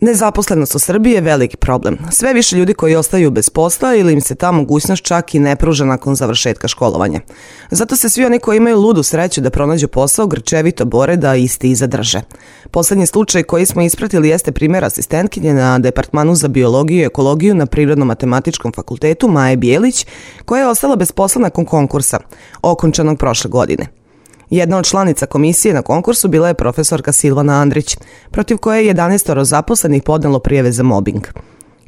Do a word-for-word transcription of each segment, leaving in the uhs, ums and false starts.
Nezaposlenost u Srbiji je veliki problem. Sve više ljudi koji ostaju bez posla ili im se ta mogućnost čak i ne pruža nakon završetka školovanja. Zato se svi oni koji imaju ludu sreću da pronađu posao grčevito bore da isti i zadrže. Poslednji slučaj koji smo ispratili jeste primjer asistentkinje na Departmanu za biologiju i ekologiju na Prirodno-matematičkom fakultetu Maje Bijelić, koja je ostala bez posla nakon konkursa, okončanog prošle godine. Jedna od članica komisije na konkursu bila je profesorka Silvana Andrić, protiv koje je jedanaestoro zaposlenih podnelo prijave za mobing.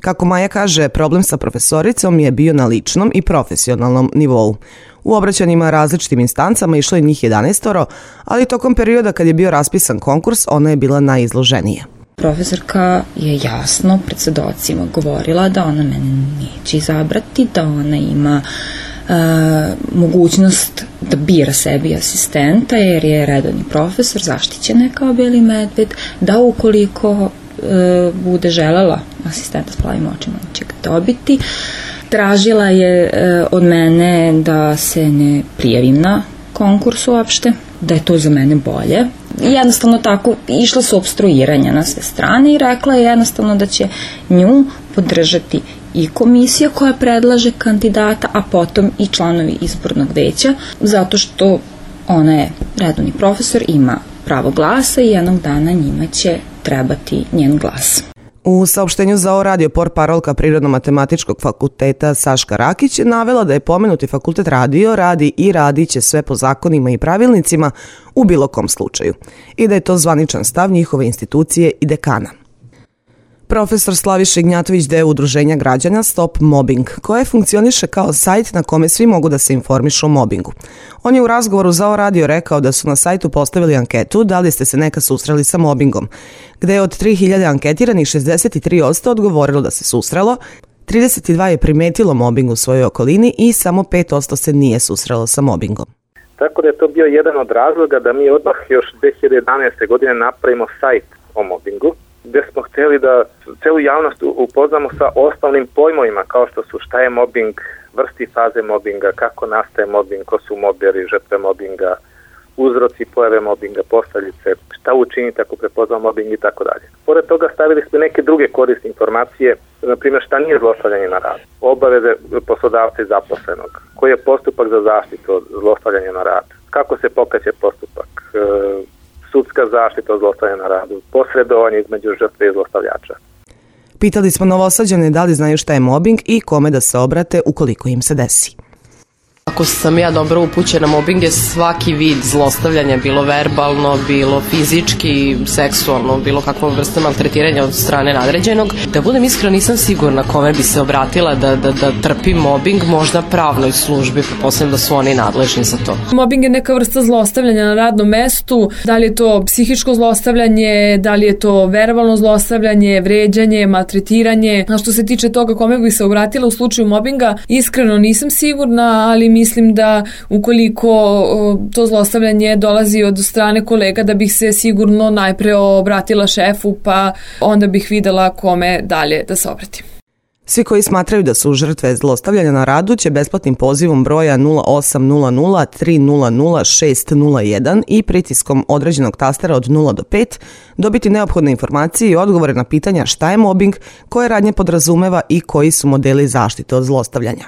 Kako Maja kaže, problem sa profesoricom je bio na ličnom i profesionalnom nivou. U obraćanjima različitim instancama išlo je njih jedanaestoro, ali tokom perioda kad je bio raspisan konkurs, ona je bila najizloženija. Profesorka je jasno pred svedocima govorila da ona mene neće izabrati, da ona ima Uh, mogućnost da bira sebi asistenta jer je redovni profesor, zaštićena je kao beli medved, da ukoliko uh, bude želela asistenta s plavim očima, će ga dobiti. Tražila je uh, od mene da se ne prijavim na konkurs uopšte, da je to za mene bolje. Jednostavno tako, išla su opstruiranja na sve strane i rekla je jednostavno da će nju podržati i komisija koja predlaže kandidata, a potom i članovi izbornog veća, zato što ona je redovni profesor, ima pravo glasa i jednog dana njima će trebati njen glas. U saopštenju za ovo radio portparolka Prirodno-matematičkog fakulteta Saška Rakić je navela da je pomenuti fakultet radio, radi i radit će sve po zakonima i pravilnicima u bilo kom slučaju i da je to zvaničan stav njihove institucije i dekana. Profesor Slaviša Ignjatović deo udruženja građana Stop Mobbing, koje funkcioniše kao sajt na kome svi mogu da se informišu o mobingu. On je u razgovoru za ovo radio rekao da su na sajtu postavili anketu da li ste se nekad susreli sa mobingom, gde je od tri hiljade anketiranih šezdeset tri posto odgovorilo da se susrelo, trideset dva je primetilo mobing u svojoj okolini i samo pet posto se nije susrelo sa mobingom. Tako da je to bio jedan od razloga da mi odmah još dve hiljade jedanaeste. godine napravimo sajt o mobingu, gde smo htjeli da celu javnost upoznamo sa osnovnim pojmovima kao što su šta je mobing, vrsti faze mobinga, kako nastaje mobing, ko su moberi, žrtve mobinga, uzroci pojave mobinga, posljedice, šta učiniti ako prepoznamo mobing i tako dalje. Pored toga stavili smo neke druge korisne informacije, na primjer šta nije zlostavljanje na radu, obaveze poslodavca i zaposlenog, koji je postupak za zaštitu od zlostavljanja na radu, kako se pokreće postupak, sudska zaštita od zlostavljanja na radu, posredovanje između žrtve i zlostavljača. Pitali smo Novosađane da li znaju šta je mobing i kome da se obrate ukoliko im se desi. Ako sam ja dobro upućena, mobing je svaki vid zlostavljanja, bilo verbalno, bilo fizički, seksualno, bilo kakva vrsta maltretiranja od strane nadređenog. Da budem iskrena, nisam sigurna kome bi se obratila da, da, da trpi mobing, možda pravnoj službi, pretpostavljam da su oni nadležni za to. Mobing je neka vrsta zlostavljanja na radnom mestu, da li je to psihičko zlostavljanje, da li je to verbalno zlostavljanje, vređanje, maltretiranje. A što se tiče toga kome bi se obratila u slučaju mobinga, iskreno nisam sigurna, ali mislim da ukoliko to zlostavljanje dolazi od strane kolega, da bih se sigurno najpre obratila šefu, pa onda bih videla kome dalje da se obratim. Svi koji smatraju da su žrtve zlostavljanja na radu će besplatnim pozivom broja nula osam nula nula tri nula nula šest nula jedan i pritiskom određenog tastera od nula do pet dobiti neophodne informacije i odgovore na pitanja šta je mobing, koje radnje podrazumeva i koji su modeli zaštite od zlostavljanja.